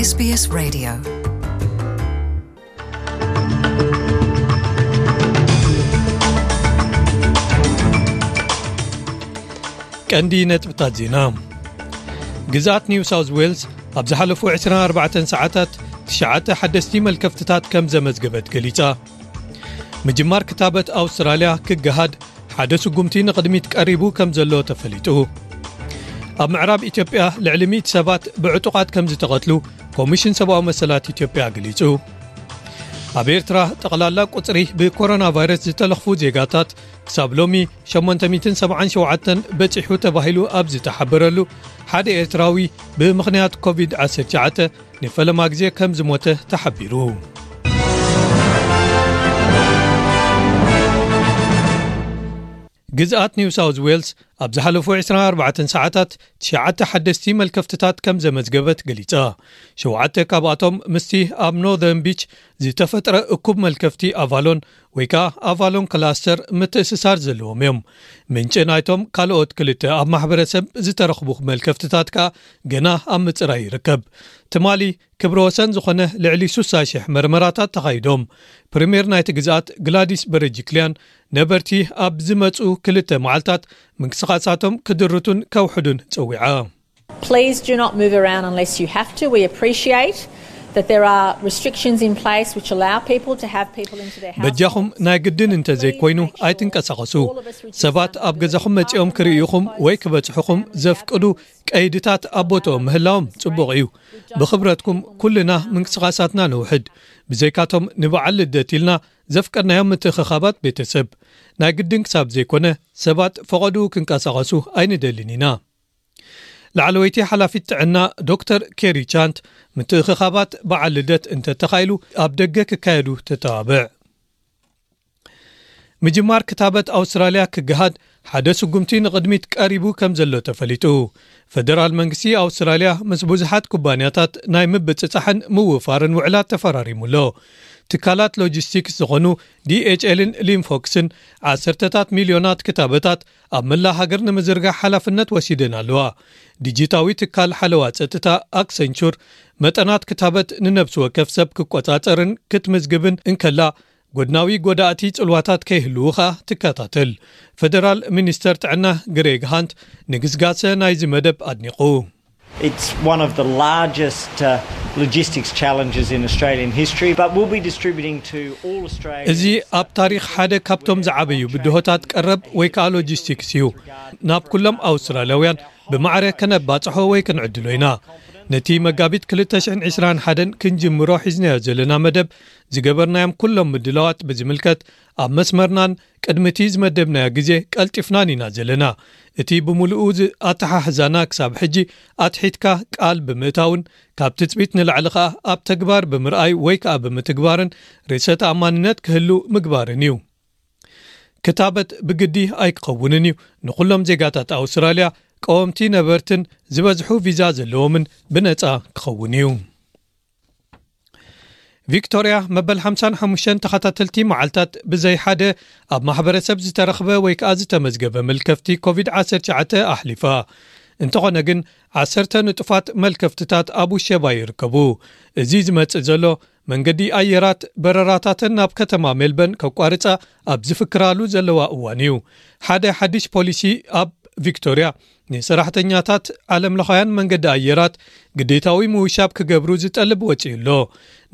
SBS Radio. ቀንዲ ነጥብታት ዜና። ግዝኣት ኒው ሳውዝ ዌልስ ኣብ ዝሓለፉ ዕስራን ኣርባዕተን ሰዓታት ትሽዓተ ሓደስቲ መልከፍትታት ከም ዘመዝገበት ገሊጻ። ምጅማር ክታበት ኣውስትራልያ ክገሃድ ሓደ ስጉምቲ ንቕድሚት ቀሪቡ ከም ዘሎ ተፈሊጡ። ኣብ ምዕራብ ኢትዮጵያ ልዕሊ ሚእቲ ሰባት ብዕጡቓት ከም ዝተቐትሉ ኮሚሽን ሰብኣዊ መሰላት ኢትዮጵያ ገሊጹ። ኣብ ኤርትራ ጠቕላላ ቁጽሪ ብኮሮና ቫይረስ ዝተለኽፉ ዜጋታት ክሳብ ሎሚ ሸሞንተ ሚእትን ሰብዓን ሸውዓተን በጺሑ ተባሂሉ ኣብ ዝተሓበረሉ፣ ሓደ ኤርትራዊ ብምኽንያት ኮቪድ ዓሰርተ ትሽዓተ ንፈለማ ግዜ ከም ዝሞተ ተሓቢሩ። ግዝኣት ኒው ሳውዝ ዌልስ ኣብ ዝሓለፉ ዕስራን ኣርባዕተን ሰዓታት ትሽዓተ ሓደስቲ መልከፍትታት ከም ዘመዝገበት ገሊጻ። ሸውዓተ ካብኣቶም ምስቲ ኣብ ኖርዘርን ቢች ዝተፈጥረ እኩብ መልከፍቲ ኣቫሎን ወይ ከኣ ኣቫሎን ክላስተር ምትእስሳር ዘለዎም እዮም። ምንጪ ናይቶም ካልኦት ክልተ ኣብ ማሕበረሰብ ዝተረኽቡ መልከፍትታት ከኣ ገና ኣብ ምጽራይ ይርከብ። ትማሊ ክብረ ወሰን ዝኾነ ልዕሊ ስሳ ሽሕ መርመራታት ተኻይዶም። ፕሪምየር ናይቲ ግዝኣት ግላዲስ በረጅክልያን ነበርቲ ኣብ ዝመጹ ክልተ መዓልታት ምንቅስቓሳቶም ክድርቱን ከውሕዱን ጸዊዓ። Please do not move around unless you have to. We appreciate that there are restrictions in place which allow people to have people into their houses. በጃኹም ናይ ግድን እንተ ዘይኮይኑ ኣይትንቀሳቐሱ። ሰባት ኣብ ገዛኹም መጺኦም ክርእዩኹም ወይ ክበጽሑኹም ዘፍቅዱ ቀይድታት ኣብ ቦታኦም ምህላዎም ጽቡቕ እዩ። ብኽብረትኩም ኩልና ምንቅስቓሳትና ነውሕድ። ብዘይካቶም ንበዓል ልደት ኢልና ዘፍቀድናዮም ምትእኽኻባት ቤተሰብ ናይ ግድን ክሳብ ዘይኮነ ሰባት ፈቐድኡ ክንቀሳቐሱ ኣይንደልን ኢና። ላዕለወይቲ ሓላፊት ጥዕና ዶክተር ኬሪ ቻንት ምትእኽኻባት በዓል ልደት እንተተኻኢሉ ኣብ ደገ ክካየዱ ተተባብዕ። ምጅማር ክታበት ኣውስትራልያ ክገሃድ ሓደ ስጉምቲ ንቕድሚት ቀሪቡ ከም ዘሎ ተፈሊጡ። ፈደራል መንግስቲ ኣውስትራልያ ምስ ብዙሓት ኩባንያታት ናይ ምብጽጻሕን ምውፋርን ውዕላት ተፈራሪሙ ኣሎ። ትካላት ሎጂስቲክስ ዝኾኑ ዲ ኤች ኤልን ሊምፎክስን ዓሰርተታት ሚልዮናት ክታበታት ኣብ መላእ ሃገር ንምዝርጋሕ ሓላፍነት ወሲደን ኣለዋ። ዲጂታዊ ትካል ሓለዋ ጸጥታ ኣክሰንቹር መጠናት ክታበት ንነብሲ ወከፍ ሰብ ክቆጻጸርን ክትምዝግብን እንከላ፣ ጎድናዊ ጎዳእቲ ጽልዋታት ከይህልዉ ኸኣ ትከታተል። ፈደራል ሚኒስተር ጥዕና ግሬግ ሃንት ንግስጋሰ ናይዚ መደብ ኣድኒቑ። It's one of the largest uh, logistics challenges in Australian history, but we'll be distributing to all Australians. እዚ ኣብ ታሪኽ ሓደ ካብቶም ዝዓበዩ ብድሆታት ቀረብ ወይ ከኣ ሎጂስቲክስ እዩ። ናብ ኩሎም ኣውስትራልያውያን ብማዕረ ከነባጽሖ ወይ ክንዕድሎ ኢና። ነቲ መጋቢት ክልተ ሽሕን ዕስራን ሓደን ክንጅምሮ ሒዝናዮ ዘለና መደብ ዝገበርናዮም ኩሎም ምድላዋት ብዝምልከት ኣብ መስመርናን ቅድሚ እቲ ዝመደብናዮ ግዜ ቀልጢፍናን ኢና ዘለና። እቲ ብምሉኡ ዝ-፣ ኣተሓሕዛና ክሳብ ሕጂ ኣትሒትካ ቃል ብምእታውን ካብ ትጽቢት ንላዕሊ ከኣ ኣብ ተግባር ብምርኣይ ወይ ከኣ ብምትግባርን ርእሰ ተኣማንነት ክህሉ ምግባርን እዩ። ክታበት ብግዲ ኣይክኸውንን እዩ። ንኹሎም ዜጋታት ኣውስትራልያ፣ ቀወምቲ ነበርትን ዝበዝሑ ቪዛ ዘለዎምን ብነጻ ክኸውን እዩ። ቪክቶርያ መበል ሓምሳን ሓሙሽተን ተኸታተልቲ መዓልታት ብዘይ ሓደ ኣብ ማሕበረሰብ ዝተረኽበ ወይ ከኣ ዝተመዝገበ መልከፍቲ ኮቪድ ዓሰርተ ትሽዓተ ኣሕሊፋ። እንተኾነ ግን፣ ዓሰርተ ንጡፋት መልከፍትታት ኣብ ውሸባ ይርከቡ። እዚ ዝመጽእ ዘሎ፣ መንገዲ ኣየራት በረራታተን ናብ ከተማ ሜልበርን ከቋርጻ ኣብ ዝፍክራሉ ዘለዋ እዋን እዩ። ሓደ ሓድሽ ፖሊሲ ኣብ ቪክቶርያ፣ ንሰራሕተኛታት ዓለምለኻውያን መንገዲ ኣየራት ግዴታዊ ምውሻብ ክገብሩ ዝጠልብ ወጺኡ ኣሎ።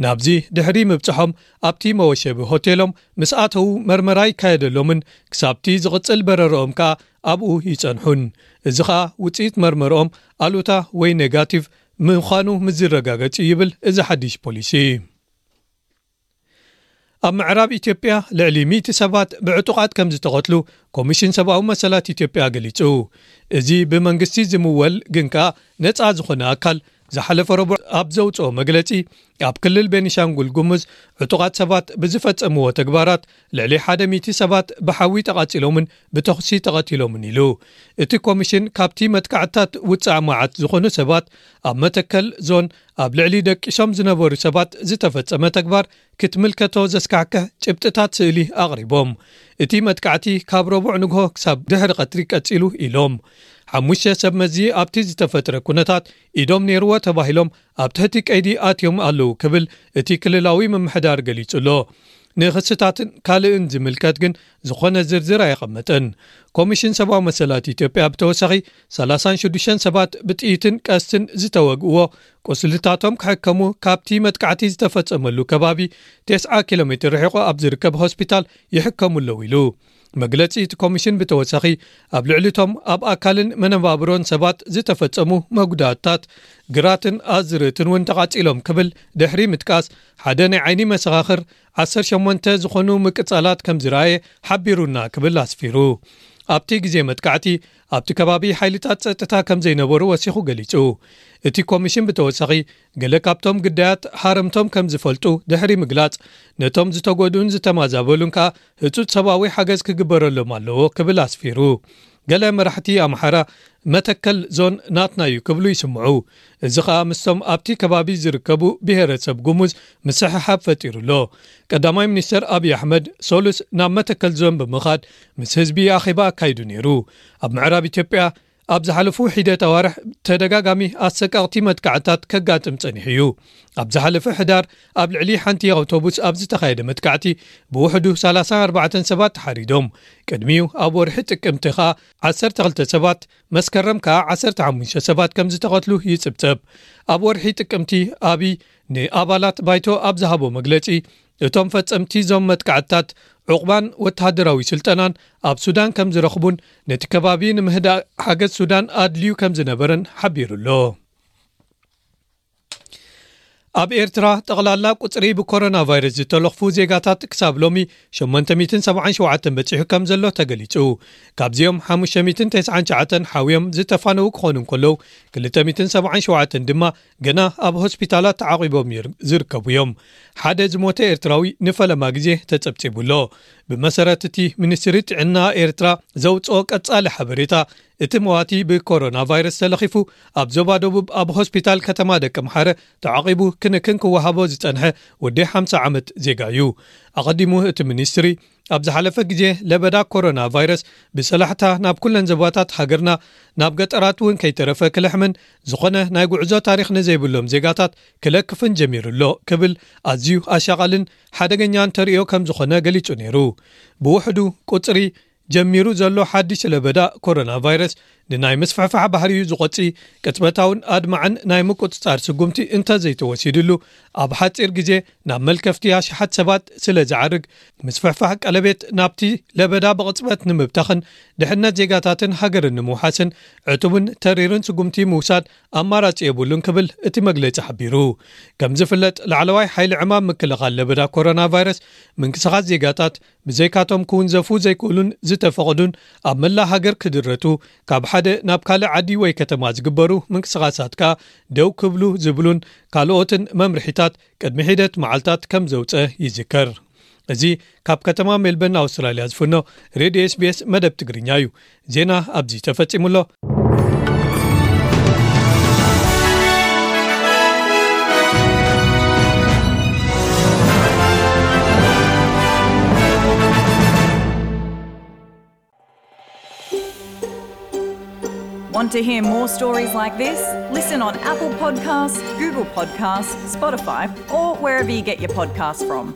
ናብዚ ድሕሪ ምብጽሖም፣ ኣብቲ መወሸቢ ሆቴሎም ምስ ኣተዉ፣ መርመራ ይካየደሎምን ክሳብቲ ዝቕጽል በረርኦም ከኣ ኣብኡ ይጸንሑን። እዚ ኸኣ ውጽኢት መርመርኦም ኣሉታ ወይ ኔጋቲቭ ምዃኑ ምስ ዝረጋገጽ እዩ ይብል እዚ ሓድሽ ፖሊሲ። ኣብ ምዕራብ ኢትዮጵያ ልዕሊ ሚእቲ ሰባት ብዕጡቓት ከም ዝተቐትሉ ኮሚሽን ሰብኣዊ መሰላት ኢትዮጵያ ገሊጹ። እዚ ብመንግስቲ ዝምወል ግን ከኣ ነጻ ዝኾነ ኣካል ዝሓለፈ ረቡዕ ኣብ ዘውጽኦ መግለጺ፣ ኣብ ክልል ቤኒሻንጉል ጉሙዝ ዕጡቓት ሰባት ብዝፈጸምዎ ተግባራት ልዕሊ ሓደ ሚእቲ ሰባት ብሓዊ ተቓጺሎምን ብተኹሲ ተቐቲሎምን ኢሉ። እቲ ኮሚሽን ካብቲ መጥቃዕትታት ውጻእ መዓት ዝኾኑ ሰባት ኣብ መተከል ዞን ኣብ ልዕሊ ደቂሶም ዝነበሩ ሰባት ዝተፈጸመ ተግባር ክትምልከቶ ዘስካሕክሕ ጭብጥታት ስእሊ ኣቕሪቦም። እቲ መጥቃዕቲ ካብ ረቡዕ ንግሆ ክሳብ ድሕሪ ቀትሪ ቀጺሉ ኢሎም። ሓሙሽተ ሰብ መዚ ኣብቲ ዝተፈጥረ ኩነታት ኢዶም ነይርዎ ተባሂሎም ኣብ ትሕቲ ቀይዲ ኣትዮም ኣለዉ ክብል እቲ ክልላዊ ምምሕዳር ገሊጹ ኣሎ። ንኽስታትን ካልእን ዝምልከት ግን ዝኾነ ዝርዝር ኣየቐመጠን። ኮሚሽን ሰብኣዊ መሰላት ኢትዮጵያ ብተወሳኺ ሰላሳን ሽዱሽተን ሰባት ብጥይትን ቀስትን ዝተወግእዎ ቁስልታቶም ክሕከሙ ካብቲ መጥቃዕቲ ዝተፈጸመሉ ከባቢ ተስዓ ኪሎ ሜትር ርሒቑ ኣብ ዝርከብ ሆስፒታል ይሕከሙ ኣለዉ ኢሉ። መግለጺ እቲ ኮሚሽን ብተወሳኺ ኣብ ልዕሊቶም ኣብ ኣካልን መነባብሮን ሰባት ዝተፈጸሙ መጉዳእታት ግራትን ኣዝርእትን እውን ተቓጺሎም ክብል ድሕሪ ምጥቃስ ሓደ ናይ ዓይኒ መሰኻኽር ዓሰርተ ሸሞንተ ዝኾኑ ምቅጻላት ከም ዝረኣየ ሓቢሩና ክብል ኣስፊሩ። ኣብቲ ግዜ መጥቃዕቲ ኣብቲ ከባቢ ሓይልታት ጸጥታ ከም ዘይነበሩ ወሲኹ ገሊጹ። እቲ ኮሚሽን ብተወሳኺ ገለ ካብቶም ግዳያት ሃረምቶም ከም ዝፈልጡ ድሕሪ ምግላጽ ነቶም ዝተጎድኡን ዝተማዛበሉን ከኣ ህጹጽ ሰብኣዊ ሓገዝ ክግበረሎም ኣለዎ ክብል ኣስፊሩ። ገለ መራሕቲ ኣምሓራ መተከል ዞን ናትና እዩ ክብሉ ይስምዑ። እዚ ኸኣ ምስቶም ኣብቲ ከባቢ ዝርከቡ ብሄረሰብ ጉሙዝ ምስሕሓብ ፈጢሩ ኣሎ። ቀዳማይ ሚኒስተር ኣብይ ኣሕመድ ሶሉስ ናብ መተከል ዞን ብምኻድ ምስ ህዝቢ ኣኼባ ኣካይዱ ነይሩ። ኣብ ምዕራብ ኢትዮጵያ ኣብ ዝሓለፉ ሒደት ኣዋርሕ ተደጋጋሚ ኣሰቃቕቲ መጥቃዕታት ከጋጥም ጸኒሑ እዩ። ኣብ ዝሓለፈ ሕዳር ኣብ ልዕሊ ሓንቲ ኣውቶቡስ ኣብ ዝተኻየደ መጥቃዕቲ ብውሕዱ ሰላሳን ኣርባዕተን ሰባት ተሓሪዶም። ቅድሚኡ ኣብ ወርሒ ጥቅምቲ ኸኣ ዓሰርተ ክልተ ሰባት፣ መስከረም ከኣ ዓሰርተ ሓሙሽተ ሰባት ከም ዝተቐትሉ ይጽብጸብ። ኣብ ወርሒ ጥቅምቲ ኣብይ ንኣባላት ባይቶ ኣብ ዝሃቦ መግለጺ እቶም ፈጸምቲ እዞም መጥቃዕትታት ዑቕባን ወተሃደራዊ ስልጠናን ኣብ ሱዳን ከም ዝረኽቡን ነቲ ከባቢ ንምህዳእ ሓገዝ ሱዳን ኣድልዩ ከም ዝነበረን ሓቢሩ ኣሎ። ኣብ ኤርትራ ጠቕላላ ቁጽሪ ብኮሮና ቫይረስ ዝተለኽፉ ዜጋታት ክሳብ ሎሚ ሸሞንተ ሚእትን ሰብዓን ሸውዓተን በጺሑ ከም ዘሎ ተገሊጹ። ካብዚኦም ሓሙሽተ ሚእትን ተስዓን ትሽዓተን ሓውዮም ዝተፋነዉ ክኾኑ እንከለዉ ክልተ ሚእትን ሰብዓን ሸውዓተን ድማ ገና ኣብ ሆስፒታላት ተዓቒቦም ይር-፣ ዝርከቡ እዮም። ሓደ ዝሞተ ኤርትራዊ ንፈለማ ግዜ ተጸብጺቡ ኣሎ። ብመሰረት እቲ ሚኒስትሪ ጥዕና ኤርትራ ዘውጽኦ ቀጻሊ ሓበሬታ፣ እቲ መዋቲ ብኮሮና ቫይረስ ተለኺፉ ኣብ ዞባ ደቡብ ኣብ ሆስፒታል ከተማ ደቂ ምሓረ ተዓቒቡ ክንክን ክወሃቦ ዝጸንሐ ወዲ ሓምሳ ዓመት ዜጋ እዩ። ኣቐዲሙ እቲ ሚኒስትሪ ኣብ ዝሓለፈ ግዜ ለበዳ ኮሮና ቫይረስ ብሰላሕታ ናብ ኩለን ዞባታት ሃገርና ናብ ገጠራት እውን ከይተረፈ ክልሕምን ዝኾነ ናይ ጉዕዞ ታሪኽ ንዘይብሎም ዜጋታት ክለክፍን ጀሚሩ ኣሎ ክብል ኣዝዩ ኣሻቓልን ሓደገኛን ተርእዮ ከም ዝኾነ ገሊጹ ነይሩ። ብውሕዱ ቁጽሪ ጀሚሩ ዘሎ ሓድሽ ለበዳ ኮሮና ቫይረስ ንናይ ምስፍሕፋሕ ባህሪኡ ዝቖጺ ቅጽበታውን ኣድማዕን ናይ ምቁጽጻር ስጉምቲ እንተዘይተወሲድሉ ኣብ ሓጺር ግዜ ናብ መልከፍቲ ኣሽሓት ሰባት ስለ ዝዓርግ ምስፍሕፋሕ ቀለቤት ናብቲ ለበዳ ብቕጽበት ንምብታኽን ድሕነት ዜጋታትን ሃገርን ንምውሓስን ዕቱብን ተሪርን ስጉምቲ ምውሳድ ኣማራጺ የብሉን ክብል እቲ መግለጺ ሓቢሩ። ከም ዝፍለጥ ላዕለዋይ ሓይሊ ዕማም ምክልኻል ለበዳ ኮሮና ቫይረስ ምንቅስቓስ ዜጋታት ብዘይካቶም ክውንዘፉ ዘይክእሉን ዝተፈቕዱን ኣብ መላእ ሃገር ክድረቱ ካብ ሓደ ናብ ካልእ ዓዲ ወይ ከተማ ዝግበሩ ምንቅስቓሳት ከኣ ደው ክብሉ ዝብሉን ካልኦትን መምርሒታት ቅድሚ ሒደት መዓልታት ከም ዘውጸ ይዝከር። እዚ ካብ ከተማ ሜልበርን ኣውስትራልያ ዝፍኖ ሬድዮ ኤስቢኤስ መደብ ትግርኛ እዩ። ዜና ኣብዚ ተፈጺሙ ኣሎ። Want to hear more stories like this? Listen on Apple Podcasts, Google Podcasts, Spotify, or wherever you get your podcasts from.